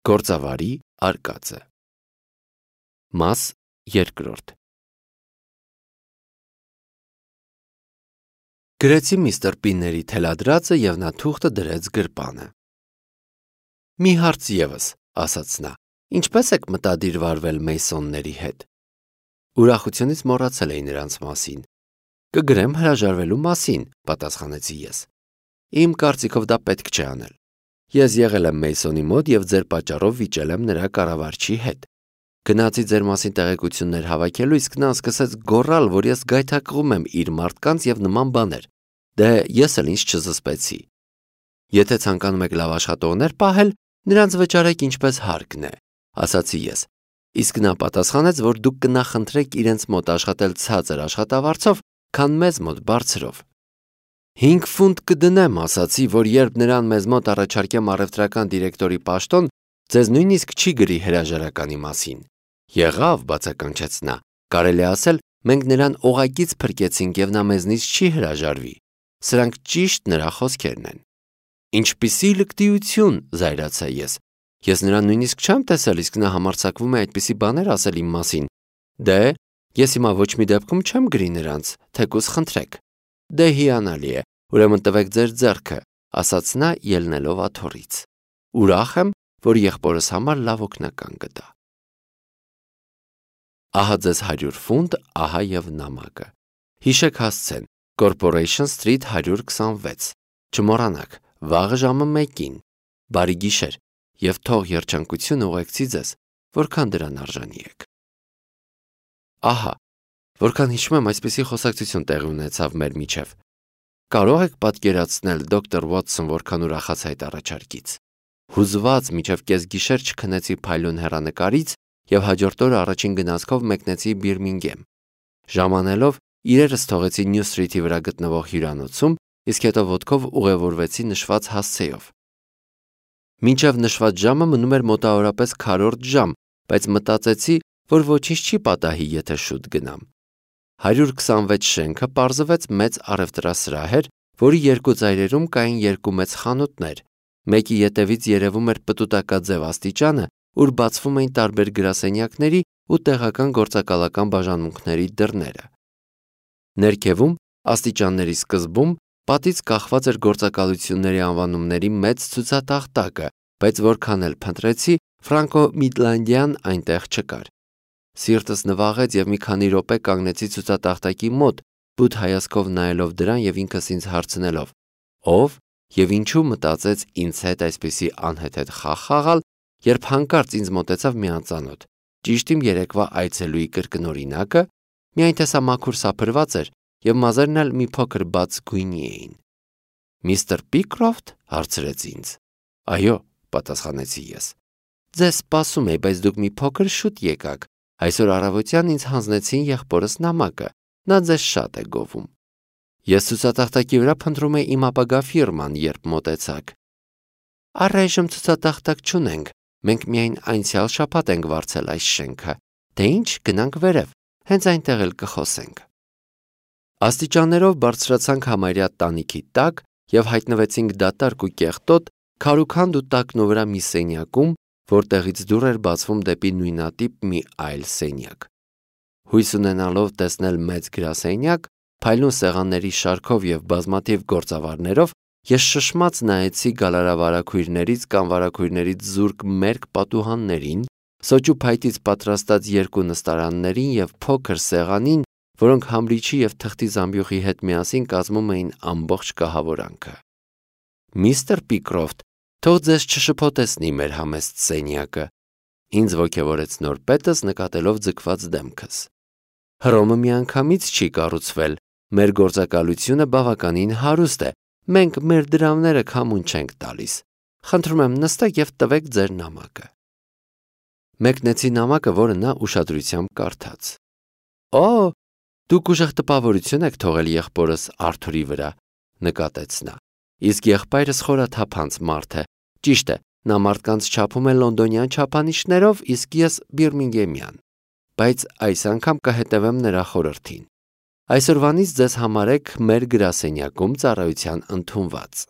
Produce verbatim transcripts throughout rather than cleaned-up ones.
Գործավարի արկածը։ Մաս երկրորդ։ Գրեցի միստր Պինների թելադրածը և նա թուղթը դրեց գրպանը։ Մի հարց ևս, ասաց նա, ինչպես եք մտադիր վարվել Մեյսոնների հետ։ Ուրախությունից մոռացել էի նրանց մասին։ Կգրեմ հրաժարվելու մասին, պատասխանեցի ես։ Իմ կարծիքով դա պետք չէ անել։ Ես եղել եմ Մեյսոնի մոտ և ձեր պատճառով վիճել եմ նրա կառավարչի հետ։ Գնացի ձեր մասին տեղեկություններ հավաքելու, իսկ նա սկսեց գոռալ, որ ես գայթակղում եմ իր մարդկանց և նման բաներ։ Դե ես էլ ինձ չզսպեցի։ Եթե ցանկանում եք լավ աշխատողներ պահել, նրանց վճարեք ինչպես հարկն է, ասացի ես։ Իսկ նա պատասխանեց, որ դուք կնախընտրեք իրենց մոտ աշխատել ցածր աշխատավարձով, քան մեզ մոտ բարձրով։ Հինգ ֆունտ կդնեմ, ասացի, որ երբ նրան մեզ մոտ առաջարկեմ առևտրական դիրեկտորի պաշտոն, ձեզ նույնիսկ չի գրի հրաժարականի մասին։ Եղավ, բացականչեց նա, կարելի ասել, մենք նրան օղակից փրկեցինք և նա մեզնից չի հրաժարվի։ Սրանք ճիշտ նրա խոսքերն են։ Ինչպիսի լկտիություն, զայրացա ես։ Ես նրան նույնիսկ չեմ տեսել, իսկ նա համարձակվում է այդպիսի բաներ ասել իմ մասին։ Դե, ես հիմա ոչ մի դեպքում չեմ գրի նրանց, թեկուզ խնդրեք։ Դե հիանալի է, ուրեմն տվեք ձեր ձեռքը, ասաց նա ելնելով աթոռից։ Ուրախ եմ, որ եղբորս համար լավ օգնական գտա։ Ահա ձեզ հարյուր ֆունտ, ահա և նամակը։ Հիշեք հասցեն, Corporation Street հարյուր քսանվեց։ Չմոռանաք, վաղը ժամը մեկին։ Բարի գիշեր, և թող երջանկությունը ուղեկցի ձեզ, որքան դրան արժանի եք։ Ահա, որքան հիշում եմ, այսպիսի խոսակցություն տեղի ունեցավ մեր միջև։ Կարող եք պատկերացնել, դոկտոր Ուոտսոն, որքան ուրախացա այդ առաջարկից։ Հուզված մինչև կեսգիշեր չքնեցի փայլուն հեռանկարից և հաջորդ օրը առաջին գնացքով մեկնեցի Բիրմինգեմ։ Ժամանելով իրերս թողեցի Նյու Սթրիթի վրա գտնվող հյուրանոցում, իսկ հետո ոտքով ուղևորվեցի նշված հասցեով։ Մինչև նշված ժամը մնում էր մոտավորապես քառորդ ժամ, բայց մտածեցի, որ ոչինչ չի պատահի, եթե շուտ գնամ։ հարյուր քսանվեց շենքը պարզվեց մեծ առևտրասրահ էր, որի երկու ծայրերում կային երկու մեծ խանութներ։ Մեկի ետևից երևում էր պտուտակաձև աստիճանը, ուր բացվում էին տարբեր գրասենյակների ու տեղական գործակալական բաժանմունքների դռները։ Ներքևում, աստիճանների սկզբում, պատից կախված էր գործակալությունների անվանումների մեծ ցուցատախտակը, բայց որքան էլ փնտրեցի, Ֆրանկո Միդլանդյան այնտեղ չկար։ Սիրտս նվաղեց և մի քանի րոպե կանգնեցի ցուցատախտակի մոտ, բութ հայացքով նայելով դրան և ինքս ինձ հարցնելով. ով և ինչու մտածեց ինձ հետ այսպիսի անհեթեթ խաղ խաղալ, երբ հանկարծ ինձ մոտեցավ մի անծանոթ, ճիշտ իմ երեկվա այցելուի կրկնօրինակը, միայն տեսա մաքուր սափրված էր և մազերն էլ մի փոքր բաց գույնի էին։ Միստր Պիկրոֆտ, հարցրեց ինձ։ Այո, պատասխանեցի ես։ Ձեզ սպասում էի, բայց դուք մի փոքր շուտ եկաք։ Այսօր առավոտյան ինձ հանձնեցին եղբորս նամակը, նա ձեզ շատ է գովում։ Ես ցուցատախտակի վրա փնտրում էի իմ ապագա ֆիրման, երբ մոտեցաք։ Առայժմ ցուցատախտակ չունենք, մենք միայն անցյալ շաբաթ ենք վարձել այս շենքը։ Դե ինչ, գնանք վերև, հենց այնտեղ էլ կխոսենք։ Աստիճաններով բարձրացանք համարյա տանիքի տակ և հայտնվեցինք դատարկ ու կեղտոտ, քարուքանդ ու տակնու վրա մի սենյակում, որտեղից դուռ էր բացվում դեպի նույնատիպ մի այլ սենյակ։ Հույս ունենալով տեսնել մեծ գրասենյակ, փայլուն սեղանների շարքով և բազմաթիվ գործավարներով, ես շշմած նայեցի գալարավարագույրներից կամ վարագույրներից զուրկ մերկ պատուհաններին, սոճու փայտից պատրաստած երկու նստարաններին և փոքր սեղանին, որոնք համրիչի և թղթի զամբյուղի հետ միասին կազմում էին ամբողջ կահավորանքը։ Միստր Պիկրոֆտ, թող ձեզ չշփոթեցնի մեր համեստ սենյակը, ինձ ոգևորեց նոր պետս նկատելով ձգված դեմքս։ Հռոմը միանգամից չի կառուցվել, մեր գործակալությունը բավականին հարուստ է, մենք մեր դրամները քամուն չենք տալիս։ Խնդրում եմ նստեք և տվեք ձեր նամակը։ Մեկնեցի նամակը, որը նա ուշադրությամբ կարդաց։ Օ, դուք ուժեղ տպավորություն եք թողել եղբորս Արթուրի վրա, նկատեց նա։ Իսկ եղբայրս խորաթափանց մարդ է, ճիշտ է, նա մարդկանց չափում է լոնդոնյան չափանիշներով, իսկ ես Բիրմինգեմյան, բայց այս անգամ կհետևեմ նրա խորհրդին։ Այսօրվանից ձեզ համարեք մեր գրասենյակում ծառայության ընդունված։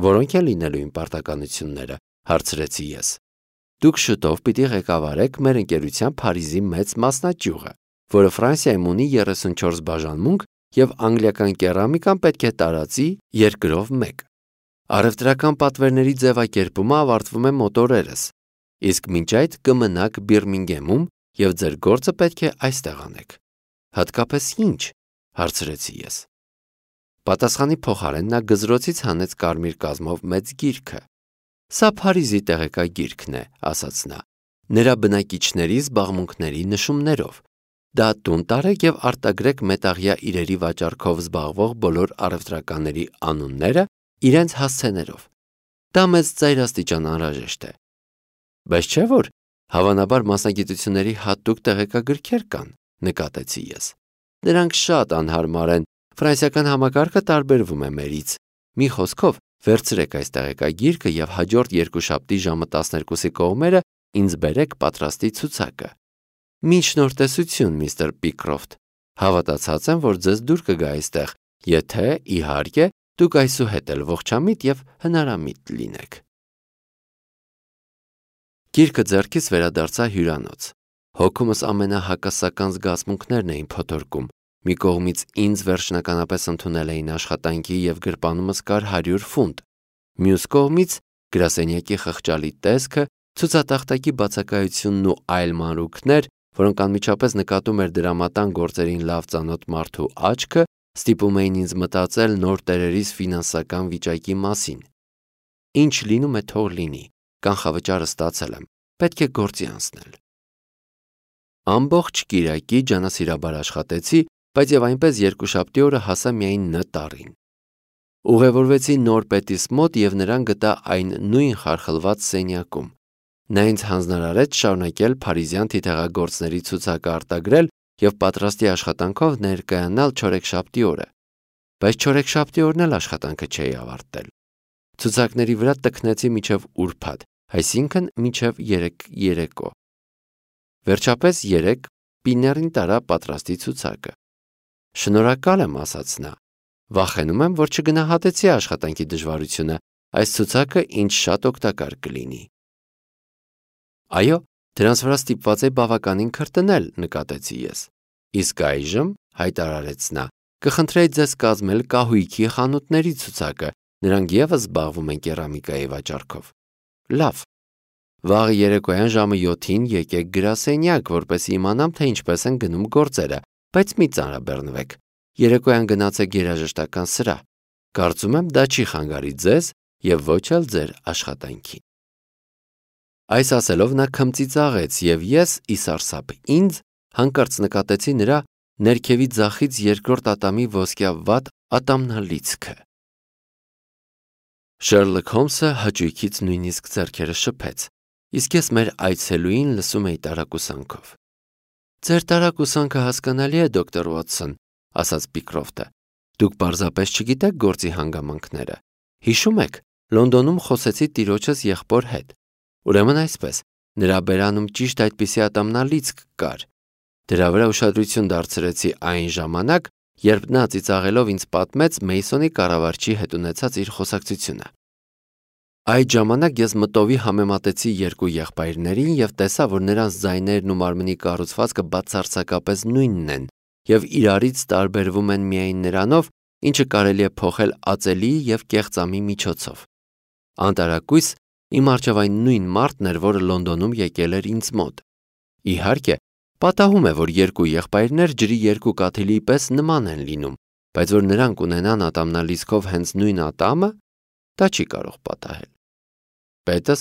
Որոնք են լինելու իմ պարտականությունները, հարցրեցի ես։ Դուք շուտով պիտի ղեկավարեք մեր ընկերության Փարիզի մեծ մասնաճյուղը, որը Ֆրանսիայում ունի երեսունչորս բաժանմունք և անգլիական կերամիկան պետք է տարածի երկրով մեկ։ Առևտրական պատվերների ձևակերպումը ավարտվում է մոտ օրերս, իսկ մինչ այդ կմնաք Բիրմինգեմում և ձեր գործը պետք է այստեղ անեք։ Հատկապես ի՞նչ, հարցրեցի ես։ Պատասխանի փոխարեն նա գզրոցից հանեց կարմիր կազմով մեծ գիրքը։ Սա Փարիզի տեղեկագիրքն է, ասաց նա, նրա բնակիչների զբաղմունքների նշումներով։ Դա տուն տարեք և արտագրեք մետաղյա իրերի վաճառքով զբաղվող բոլոր առևտրականների անունները իրենց հասցեներով։ Դա մեծ ծայրաստիճան անհրաժեշտ է։ Բայց չէ՞ որ հավանաբար մասնագիտությունների հատուկ տեղեկագրքեր կան, նկատեցի ես։ Նրանք շատ անհարմար են, ֆրանսիական համակարգը տարբերվում է մերից։ Մի խոսքով, վերցրեք այս տեղեկագիրքը և հաջորդ երկուշաբթի ժամը տասներկուսի կողմերը ինձ բերեք պատրաստի ցուցակը։ Մինչ նոր տեսություն, միստր Պիկրոֆտ, հավատացած եմ, որ ձեզ դուր կգա այստեղ, եթե, իհարկե, դուք այսուհետ էլ ողջամիտ և հնարամիտ լինեք։ Գիրքը ձեռքից վերադարձա հյուրանոց։ Հոգումս ամենահակասական զգացմունքներն էին փոթորկում։ Մի կողմից ինձ վերջնականապես ընդունել էին աշխատանքի և գրպանումս կար հարյուր ֆունտ։ Մյուս կողմից գրասենյակի խղճալի տեսքը, ցուցատախտակի բացակայությունն ու այլ մանրուքներ, որոնք անմիջապես նկատում էր դրամատան գործերին լավ ծանոթ մարդու աչքը, ստիպում էին ինձ մտածել նոր տերերիս ֆինանսական վիճակի մասին։ Ինչ լինում է, թող լինի, կանխավճարը ստացել եմ, պետք է գործի անցնել։ Ամբողջ կիրակի ջանասիրաբար աշխատեցի, բայց և այնպես երկուշաբթի օրը հասա միայն Ն տառին։ Ուղևորվեցի նոր պետիս մոտ և նրան գտա այն նույն խարխլված սենյակում։ Նա ինձ հանձնարարեց շարունակել փարիզյան թիթեղագործների ցուցակը արտագրել և պատրաստի աշխատանքով ներկայանալ չորեքշաբթի օրը։ Բայց չորեքշաբթի օրն էլ աշխատանքը չէի ավարտել։ Ցուցակների վրա տքնեցի մինչև ուրբաթ, այսինքն մինչև երեկ երեկո։ Վերջապես երեկ Պիներին տարա պատրաստի ցուցակը։ Շնորհակալ եմ, ասաց նա։ Վախենում եմ, որ չգնահատեցի աշխատանքի դժվարությունը, այս ցուցակը ինձ շատ օգտակար կլինի։ Այո, դրանց վրա ստիպված է բավականին քրտնել, նկատեցի ես։ Իսկ այժմ, հայտարարեց նա, կխնդրեի ձեզ կազմել կահույքի խանութների ցուցակը, նրանք ևս զբաղվում են կերամիկայի վաճառքով։ Լավ։ Վաղ երեկոյան ժամը յոթին եկեք գրասենյակ, որպեսզի իմանամ, թե ինչպես են գնում գործերը, բայց մի ծանրաբեռնվեք։ Երեկոյան գնացեք երաժշտական սրահ։ Կարծում եմ, դա չի խանգարի ձեզ և ոչ էլ ձեր աշխատանքին։ Այս ասելով նա քմծիծաղեց և ես, ի սարսափ ինձ, հանկարծ նկատեցի նրա ներքևի ձախից երկրորդ ատամի ոսկյավատ ատամնալիցքը։ Շերլոք Հոլմսը հաճույքից նույնիսկ ձեռքերը շփեց, իսկ ես մեր այցելուին լսում էի տարակուսանքով։ Ձեր տարակուսանքը հասկանալի է, դոկտոր Ուոտսոն, ասաց Պիկրոֆտը։ Դուք պարզապես չգիտեք գործի հանգամանքները։ Հիշում եք, Լոնդոնում խոսեցի տիրոջս եղբոր հետ։ Ուրեմն այսպես, նրա բերանում ճիշտ այդպիսի ատամնալիցք կար։ Դրա վրա ուշադրություն դարձրեցի այն ժամանակ, երբ նա ծիծաղելով ինձ պատմեց Մեյսոնի կառավարչի հետ ունեցած իր խոսակցությունը։ Այդ ժամանակ ես մտովի համեմատեցի երկու եղբայրներին և տեսա, որ նրանց ձայներն ու մարմնի կառուցվածքը բացարձակապես նույնն են և իրարից տարբերվում են միայն նրանով, ինչը կարելի է փոխել ածելի և կեղծամի միջոցով։ Անտարակույս իմ առջև այն նույն մարդն էր, որը Լոնդոնում եկել էր ինձ մոտ։ Իհարկե, պատահում է, որ երկու եղբայրներ ջրի երկու կաթիլի պես նման են լինում, բայց որ նրանք ունենան ատամնալիցքով հենց նույն ատամը, դա չի կարող պատահել։ Պետս,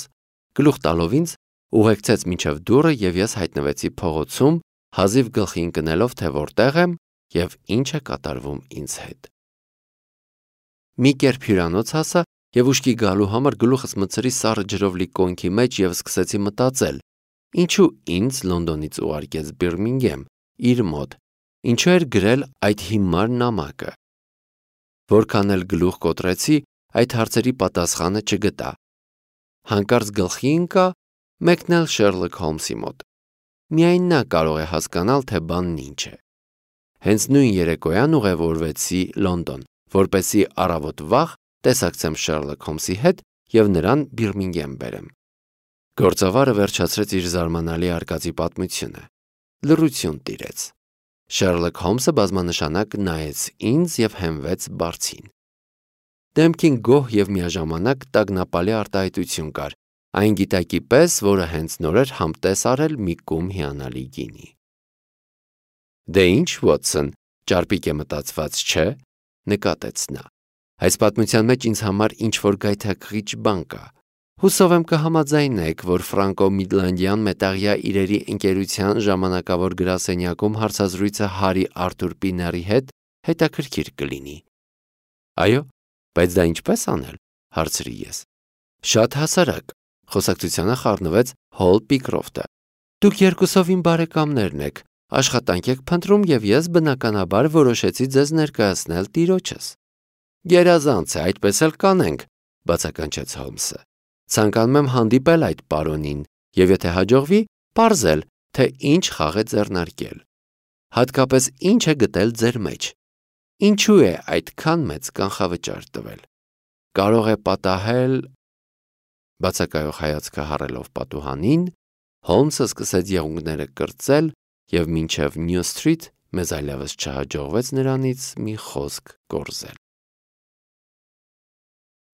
գլուխ տալով ինձ, ուղեկցեց մինչև դուռը և ես հայտնվեցի փողոցում, հազիվ գլխի ընկնելով, թե որտեղ եմ և ինչ է կատարվում ինձ հետ։ Մի կերպ հյուրանոց հասա և ուշքի գալու համար գլուխս մտցրի սառը ջրով լի կոնքի մեջ և սկսեցի մտածել, ինչու ինձ Լոնդոնից ուղարկեց Բիրմինգեմ, իր մոտ, ինչու էր գրել այդ հիմար նամակը։ Որքան էլ գլուխ կոտրեցի, այդ հարցերի պատասխանը չգտա։ Հանկարծ գլխի ընկա մեկն էլ Շերլոք Հոլմսի մոտ։ Միայն նա կարող է հասկանալ, թե բանն ինչ է։ Հենց նույն երեկոյան ուղևորվեցի Լոնդոն, որպեսզի առավոտ վաղ տեսակցեմ Շերլոք Հոլմսի հետ և նրան Բիրմինգեմ բերեմ։ Գործավարը վերջացրեց իր զարմանալի արկածի պատմությունը։ Լռություն տիրեց։ Շերլոք Հոլմսը բազմանշանակ նայեց ինձ և հենվեց բարձին։ Դեմքին գոհ և միաժամանակ տագնապալի արտահայտություն կար, այն գիտակի պես, որը հենց նոր էր համտես արել մի կում հիանալի գինի։ Դե ինչ, Ուոտսոն, ճարպիկ է մտածված, չէ՞, նկատեց նա։ Այս պատմության մեջ ինձ համար ինչ-որ գայթակղիչ բան կա։ Հուսով եմ կհամաձայնեք, որ ֆրանկո-միդլանդյան մետաղյա իրերի ընկերության ժամանակավոր գրասենյակում հարցազրույցը Հարի Արթուր Պիների հետ հետաքրքիր կլինի։ Այո, բայց դա ինչպես անել, հարցրի ես։ Շատ հասարակ, խոսակցությանը խառնվեց Հոլ Պիկրոֆտը։ Դուք երկուսով իմ բարեկամներն եք, աշխատանք եք փնտրում և ես բնականաբար որոշեցի ձեզ ներկայացնել տիրոջս։ Գերազանց է, այդպես էլ կանենք, բացականչեց Հոլմսը։ Ցանկանում եմ հանդիպել այդ պարոնին և եթե հաջողվի, պարզել, թե ինչ խաղ է ձեռնարկել։ Հատկապես ինչ է գտել ձեր մեջ։ Ինչու է այդքան մեծ կանխավճար տվել։ Կարող է պատահել… Բացակայող հայացքը հառելով պատուհանին, Հոլմսը սկսեց եղունգները կրծել և մինչև Նյու Սթրիթ մեզ այլևս չհաջողվեց նրանից մի խոսք կորզել։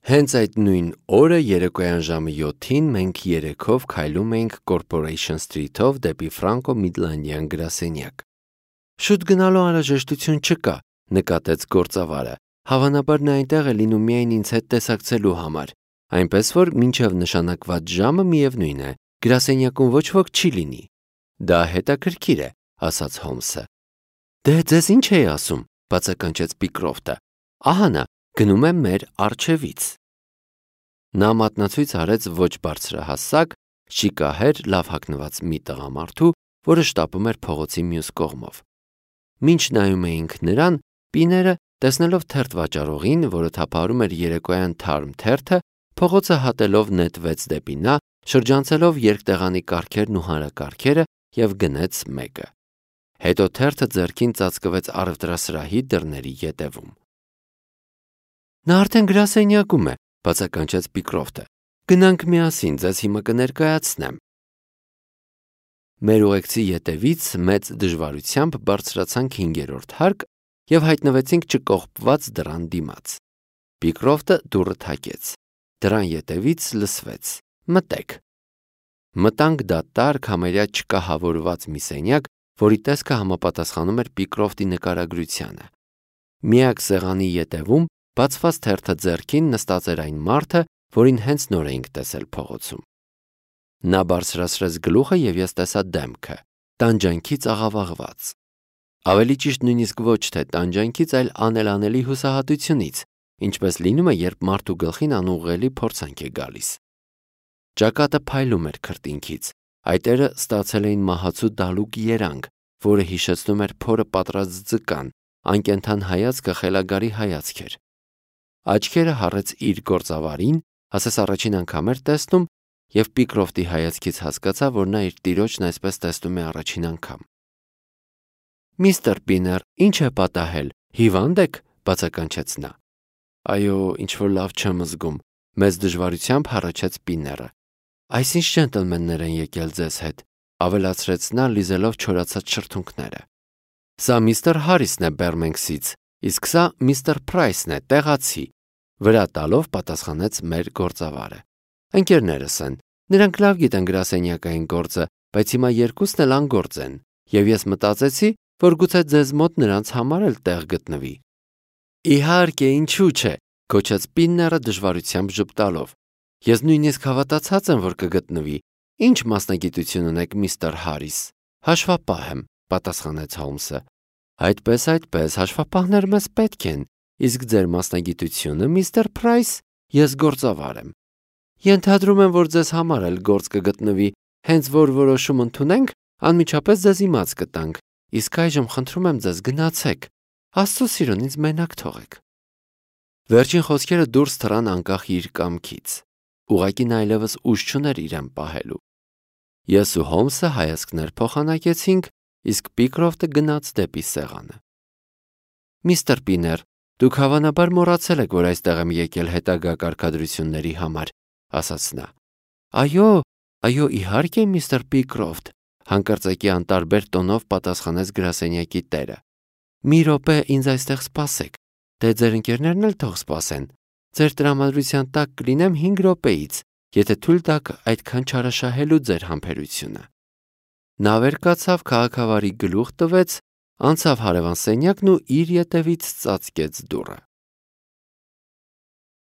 Հենց այդ նույն օրը երեկոյան ժամը յոթին մենք երեքով քայլում էինք Corporation Street-ով դեպի ֆրանկո-միդլանդյան գրասենյակ։ Շուտ գնալու անհրաժեշտություն չկա, նկատեց գործավարը, հավանաբար նա այնտեղ է լինում միայն ինձ հետ տեսակցելու համար, այնպես որ մինչև նշանակված ժամը միևնույն է, գրասենյակում ոչ ոք չի լինի։ Դա հետաքրքիր է, ասաց Հոլմսը։ Դե ձեզ ինչ էի ասում, բացականչեց Պիկրոֆտը։ Ահա նա, գնում է մեր առջևից։ Նա մատնացույց արեց ոչ բարձրահասակ, շիկահեր, լավ հագնված մի տղամարդու, որը շտապում էր փողոցի մյուս կողմով։ Մինչ նայում էինք նրան, Պիները, տեսնելով թերթ վաճառողին, որը թափահարում էր երեկոյան թարմ թերթը, փողոցը հատելով նետվեց դեպի նա, շրջանցելով երկտեղանի կառքերն ու հանրակառքերը և գնեց մեկը։ Հետո թերթը ձեռքին ծածկվեց առևտրասրահի դռների ետևում։ Նա արդեն գրասենյակում է, բացականչեց Պիկրոֆտը։ Գնանք միասին, ձեզ հիմա կներկայացնեմ։ Մեր ուղեկցի ետևից մեծ դժվարությամբ բարձրացանք հինգերորդ հարկ և հայտնվեցինք չկողպված դռան դիմաց։ Պիկրոֆտը դուռը թակեց։ Դռան ետևից լսվեց. Մտեք։ Մտանք դատարկ, համարյա չկահավորված մի սենյակ, որի տեսքը համապատասխանում էր Պիկրոֆտի նկարագրությանը։ Միակ սեղանի ետևում, բացված թերթը ձեռքին, նստած էր այն մարդը, որին հենց նոր էինք տեսել փողոցում։ Նա բարձրացրեց գլուխը և ես տեսա դեմքը, տանջանքից աղավաղված։ Ավելի ճիշտ նույնիսկ ոչ թե տանջանքից, այլ անելանելի հուսահատությունից, ինչպես լինում է, երբ մարդու գլխին անուղղելի փորձանք է գալիս։ Ճակատը փայլում էր քրտինքից, այտերը ստացել էին մահացու դալուկ երանգ, որը հիշեցնում էր փորը պատրած ձկան, անկենդան հայացքը խելագարի հայացք էր։ Աչքերը հառեց իր գործավարին, ասես առաջին անգամ էր տեսնում, և Պիկրոֆտի հայացքից հասկացա, որ նա իր տիրոջն այսպես տեսնում է առաջին անգամ։ Միստր Պիներ, ինչ է պատահել, հիվա՞նդ եք, բացականչեց նա։ Այո, ինչ-որ լավ չեմ զգում, մեծ դժվարությամբ հառաչեց Պիները։ Այս ինչ ջենտլմեններ են եկել ձեզ հետ, ավելացրեց նա, լիզելով չորացած շրթունքները։ Սա միստր Հարիսն է Բերմենքսից, իսկ սա միստր Փրայսն է, տեղացի, վրա տալով պատասխանեց մեր գործավարը։ Ընկերներս են, նրանք լավ գիտեն գրասենյակային գործը, բայց հիմա երկուսն էլ անգործ են, և ես մտածեցի, որ գուցե ձեզ մոտ նրանց համար էլ տեղ գտնվի։ Իհարկե, ինչու՞ չէ, գոչեց Պինները դժվարությամբ ժպտալով։ Ես նույնիսկ հավատացած եմ, որ կգտնվի։ Ինչ մասնագիտություն ունեք, միստր Հարիս։ Հաշվապահ եմ, պատասխանեց Հոլմսը։ Այդպես, այդպես, հաշվապահներ մեզ պետք են, իսկ ձեր մասնագիտությունը, միստր Փրայս, ես գործավար եմ։ Ենթադրում եմ, որ ձեզ համար էլ գործ կգտնվի, հենց որ որոշում ընդունենք, անմիջապես ձեզ իմաց կտանք, իսկ այժմ խնդրում եմ ձեզ գնացեք, Աստծո սիրուն ինձ մենակ թողեք։ Վերջին խոսքերը դուրս թռան անկախ իր կամքից։ Ուղղակի նա այլևս ուժ չուներ իրեն պահելու։ Ես ու Հոլմսը հայացքներ փոխանակեցինք, իսկ Պիկրոֆտը գնաց դեպի սեղանը։ Միստր Պիներ, դուք հավանաբար մոռացել եք, որ այստեղ եմ եկել հետագա կարգադրությունների համար, ասաց նա։ Այո, Այո, իհարկե, միստր Պիկրոֆտ, հանկարծակի անտարբեր տոնով պատասխանեց գրասենյակի տերը։ Մի րոպե ինձ այստեղ սպասեք, դե ձեր ընկերներն էլ թող սպասեն։ Ձեր տրամադրության տակ կլինեմ հինգ րոպեից, եթե թույլ տաք այդքան չարաշահելու ձեր համբերությունը։ Նա վեր կացավ, քաղաքավարի գլուխ տվեց, անցավ հարևան սենյակն ու իր ետևից ծածկեց դուռը։